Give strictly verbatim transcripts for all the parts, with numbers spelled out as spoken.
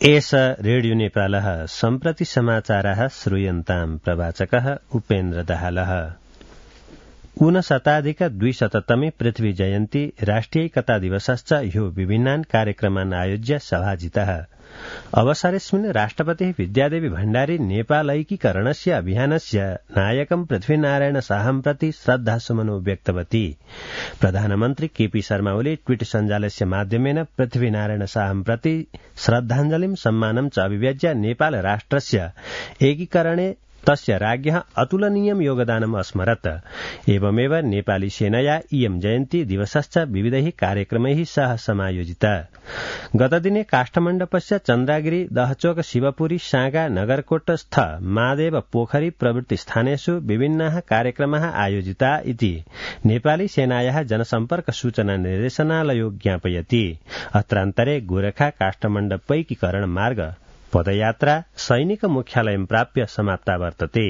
एष रेडियो नेपालः सम्प्रति समाचाराः श्रूयन्ताम् प्रवाचकः उपेन्द्र दाहालः। ऊनशताधिक द्विशततमे पृथ्वी जयन्ती राष्ट्रियैकता दिवसश्च ह्यो विभिन्नान् कार्यक्रमान् आयोज्य सभाजितः। अवसरेऽस्मिन् राष्ट्रपतिः विद्यादेवी भण्डारी नेपालैकीकरणस्य अभियानस्य नायकं पृथ्वीनारायण शाहं प्रति श्रद्धासुमनो व्यक्तवती। प्रधानमन्त्री केपी शर्मा ओली ट्वीट सञ्जालस्य माध्यमेन पृथ्वीनारायण शाहं प्रति श्रद्धाञ्जलिं सम्मानं च अभिव्यज्य नेपाल राष्ट्रस्य एकीकरणे तस्य राज्ञः अतुलनीयं योगदानम् अस्मरत्। एवमेव नेपाली सेनया इयं जयन्ती दिवसश्च विविधैः कार्यक्रमैः सह समायोजिता। गतदिने काष्ठमण्डपस्य चन्द्रागिरी दहचोक शिवपुरी सागा नगरकोटस्थ महादेव पोखरी प्रभृति स्थानेषु विभिन्नाः कार्यक्रमाः आयोजिता इति नेपाली सेनायाः जनसम्पर्क सूचना निर्देशनालयो ज्ञापयति। अत्रान्तरे गोरखा काष्ठमण्डपैकीकरण मार्ग पदयात्रा सैनिक मुख्यालयं प्राप्य समाप्ता वर्तते।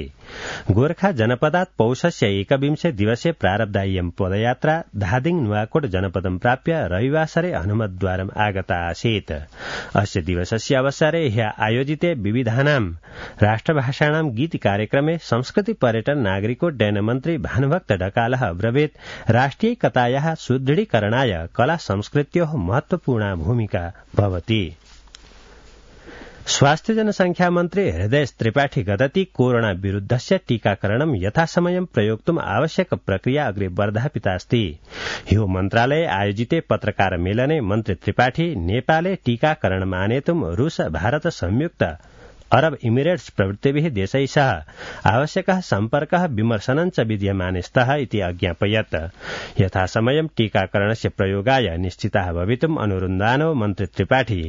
गोरखा जनपदात् पौषस्य एकविंशे दिवसे प्रारब्धा इयं पदयात्रा धादिङ नुवाकोट जनपदं प्राप्य रविवासरे हनुमतद्वारम् आगता आसीत्। अस्य दिवसस्य अवसरे ह्यः आयोजिते विविधानां राष्ट्रभाषाणां गीति कार्यक्रमे संस्कृति पर्यटन नागरिकोड्डयन मन्त्री भानुभक्त ढकालः अब्रवीत् राष्ट्रियैकतायाः सुदृढीकरणाय कला संस्कृत्योः महत्वपूर्णा भूमिका भवति। स्वास्थ्य जनसंख्या मन्त्री हृदय त्रिपाठी गदति कोरोना विरुद्धस्य टीकाकरणं यथासमयं प्रयोक्तुम् आवश्यक प्रक्रिया अग्रे वर्धापितास्ति। ह्यो मन्त्रालये आयोजिते पत्रकार मेलने मन्त्री त्रिपाठी नेपाले टीकाकरणम् आनेतुं रूस भारत संयुक्त अरब इमिरेट्स प्रभृतिभिः देशैः सह आवश्यकः सम्पर्कः विमर्शनं च विद्यमाने स्तः इति अज्ञापयत्। यथासमयं टीकाकरणस्य प्रयोगाय निश्चिताः भवितुम् अनुरुन्धानो मन्त्री त्रिपाठी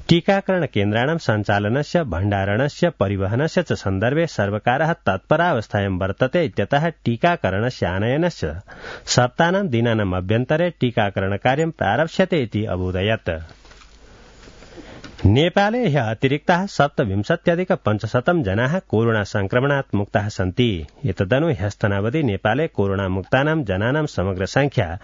टीकाकरण केन्द्राणां सञ्चालनस्य भण्डारणस्य परिवहनस्य च सन्दर्भे सर्वकारः तत्परावस्थायां वर्तते इत्यतः टीकाकरणस्य आनयनस्य सप्तानां दिनानाम् अभ्यन्तरे टीकाकरण कार्यं प्रारप्स्यते इति अबोधयत्। नेपाले ह्यः अतिरिक्ताः सप्तविंशत्यधिक पञ्चशतं जनाः कोरोना संक्रमणात् मुक्ताः सन्ति। एतदनु ह्यस्तनावधि नेपाले कोरोना मुक्तानां जनानां समग्र संख्या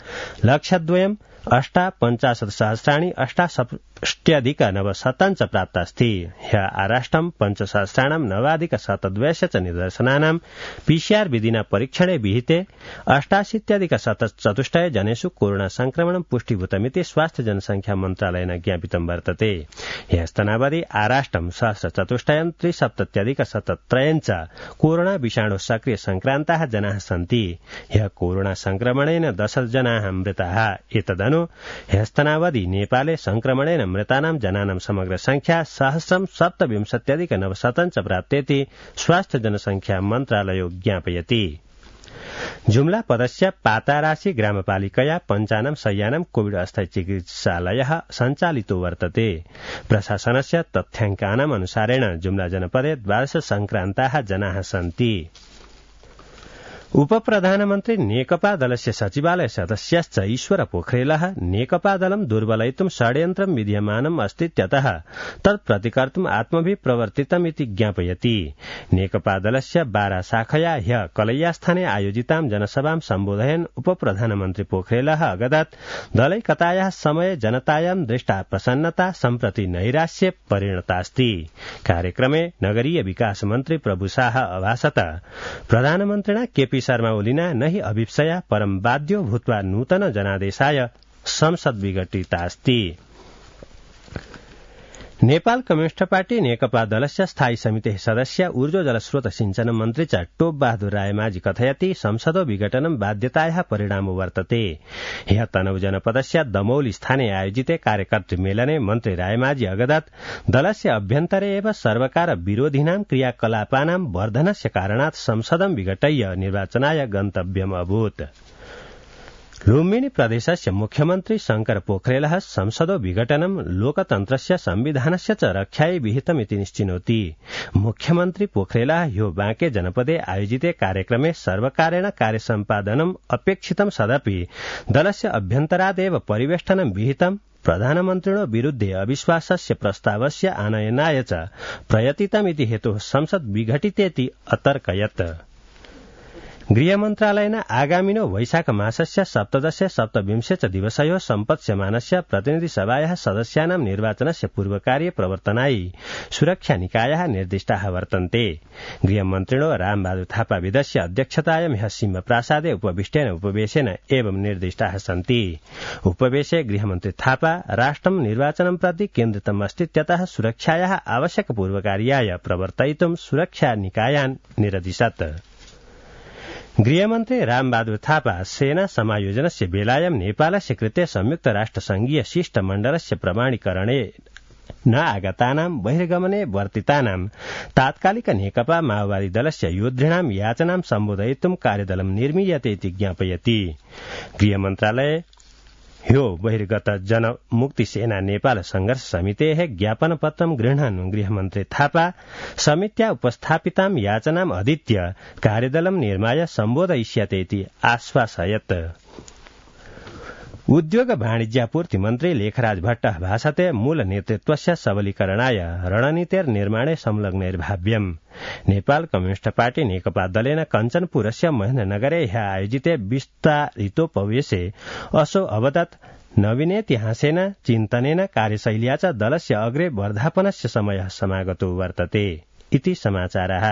लक्षद्वयम् अष्टा पञ्चाशत् सहस्राणि अष्टाषष्ट्यधिक नवशतं च प्राप्तास्ति। ह्यः आराष्ट्रं पञ्चसहस्राणां नवाधिक शतद्वयस्य च निदर्शनानां पीसीआर विधिना परीक्षणे विहिते अष्टाशीत्यधिक शतचतुष्टय जनेषु कोरोना संक्रमणं पुष्टीभूतमिति स्वास्थ्य जनसंख्या मन्त्रालयेन ज्ञापितं वर्तते। ह्यस्तनावधि आराष्ट्रं सहस्रचतुष्टयं त्रिसप्तत्यधिक शतत्रयं च कोरोना विषाणु सक्रिय संक्रान्ताः जनाः सन्ति। ह्यः कोरोना संक्रमणेन दश जनाः मृताः। एतदनु ह्यस्तनावधि नेपाले संक्रमणेन मृतानां जनानां समग्र संख्या सहस्रं सप्तविंशत्यधिक नवशतं च प्राप्तेति स्वास्थ्य जनसंख्या मन्त्रालयो ज्ञापयति। जुम्ला पदस्य पाताराशी ग्रामपालिकया पञ्चानं शय्यानां कोविड अस्थायी चिकित्सालयः सञ्चालितो वर्तते। प्रशासनस्य तथ्याङ्कानाम् अनुसारेण जुम्ला जनपदे द्वादश संक्रान्ताः जनाः सन्ति। उपप्रधानमन्त्री नेकपा दलस्य सचिवालय सदस्यश्च ईश्वर पोखरेलः नेकपा दलं दुर्बलयितुं षड्यन्त्रं विद्यमानम् अस्तीत्यतः तत् प्रतिकर्तुम् आत्मभिः प्रवर्तितमिति ज्ञापयति। नेकपा दलस्य बारा शाखया ह्यः कलैयास्थाने आयोजितां जनसभां सम्बोधयन् उपप्रधानमन्त्री पोखरेलः अगदत् दलैकतायाः समये जनतायां दृष्टा प्रसन्नता सम्प्रति नैराश्ये परिणतास्ति। कार्यक्रमे नगरीय विकास मन्त्री प्रभु शाह अभाषत प्रधानमन्त्रिणा केपी शर्मा ओलिना न हि अभिप्सया परं बाध्यो भूत्वा नूतन जनादेशाय संसद विघटितास्ति। नेपाल कम्युनिस्ट पार्टी नेकपा दलस्य स्थायी समितेः सदस्य ऊर्जो जलस्रोत सिंचन मन्त्री च टोप बहादुर रायमाझी कथयति संसदो विघटनं बाध्यतायाः परिणामो वर्तते। ह्यः तनहु जनपदस्य दमौली स्थाने आयोजिते कार्यकर्तृ मेलने मन्त्री रायमाझी अगदत् दलस्य अभ्यन्तरे एव सर्वकार विरोधिनां क्रियाकलापानां वर्धनस्य कारणात् संसदं विघटय्य निर्वाचनाय गन्तव्यम् अभूत्। लुम्बिनी प्रदेशस्य मुख्यमन्त्री शंकर पोखरेलः संसदो विघटनं लोकतन्त्रस्य संविधानस्य च रक्षायै विहितमिति निश्चिनोति। मुख्यमन्त्री पोखरेलः ह्यो बांके जनपदे आयोजिते कार्यक्रमे सर्वकारेण कार्यसम्पादनम् अपेक्षितं सदपि दलस्य अभ्यन्तरादेव परिवेष्टनं विहितं प्रधानमन्त्रिणो विरुद्धे अविश्वासस्य प्रस्तावस्य आनयनाय च प्रयतितमिति हेतुः संसद विघटितेति अतर्कयत्। गृह मन्त्रालयेन आगामिनो वैशाख मासस्य सप्तदश सप्तविंशे च दिवसयो सम्पत्स्यमानस्य प्रतिनिधिसभायाः सदस्यानां निर्वाचनस्य पूर्वकार्य प्रवर्तनाय सुरक्षा निकायाः निर्दिष्टाः वर्तन्ते। गृहमन्त्रिणो रामबहादुर थापा विदस्य अध्यक्षतायां ह्यः सिंहप्रासादे उपविष्टेन उपवेशेन एवं निर्दिष्टाः सन्ति। उपवेशे गृहमन्त्री थापा राष्ट्रं निर्वाचनं प्रति केन्द्रितम् अस्तीत्यतः सुरक्षायाः आवश्यक पूर्वकार्याय प्रवर्तयितुं सुरक्षा निकायान् निरदिशत्। गृहमन्त्री रामबहादुर थापा सेना समायोजनस्य बेलायां नेपालस्य कृते संयुक्त राष्ट्रसंघीय शिष्टमण्डलस्य प्रमाणीकरणे न आगतानां बहिर्गमने वर्तितानां तात्कालिक नेकपा माओवादी दलस्य योद्धॄणां याचनां सम्बोधयितुं कार्यदलं निर्मीयते इति ज्ञापयति। गृहमन्त्रालये ह्यो बहिर्गत जनमुक्ति सेना नेपाल संघर्ष समितेः ज्ञापनपत्रं गृह्णन् गृहमन्त्री थापा समित्या उपस्थापितां याचनाम् अधीत्य कार्यदलं निर्माय सम्बोधयिष्यते इति आश्वासयत्। उद्योग वाणिज्यापूर्ति मन्त्री लेखराज भट्टः भाषते मूल नेतृत्वस्य सबलीकरणाय रणनीतेर्निर्माणे संलग्नैर्भाव्यम्। नेपाल कम्युनिस्ट पार्टी नेकपा दलेन कञ्चनपुरस्य महेन्द्रनगरे ह्यः आयोजिते विस्तारितोपवेशे असौ अवदत् नवीनेतिहासेन चिन्तनेन कार्यशैल्या च दलस्य अग्रे वर्धापनस्य समयः समागतो वर्तते इति समाचारः।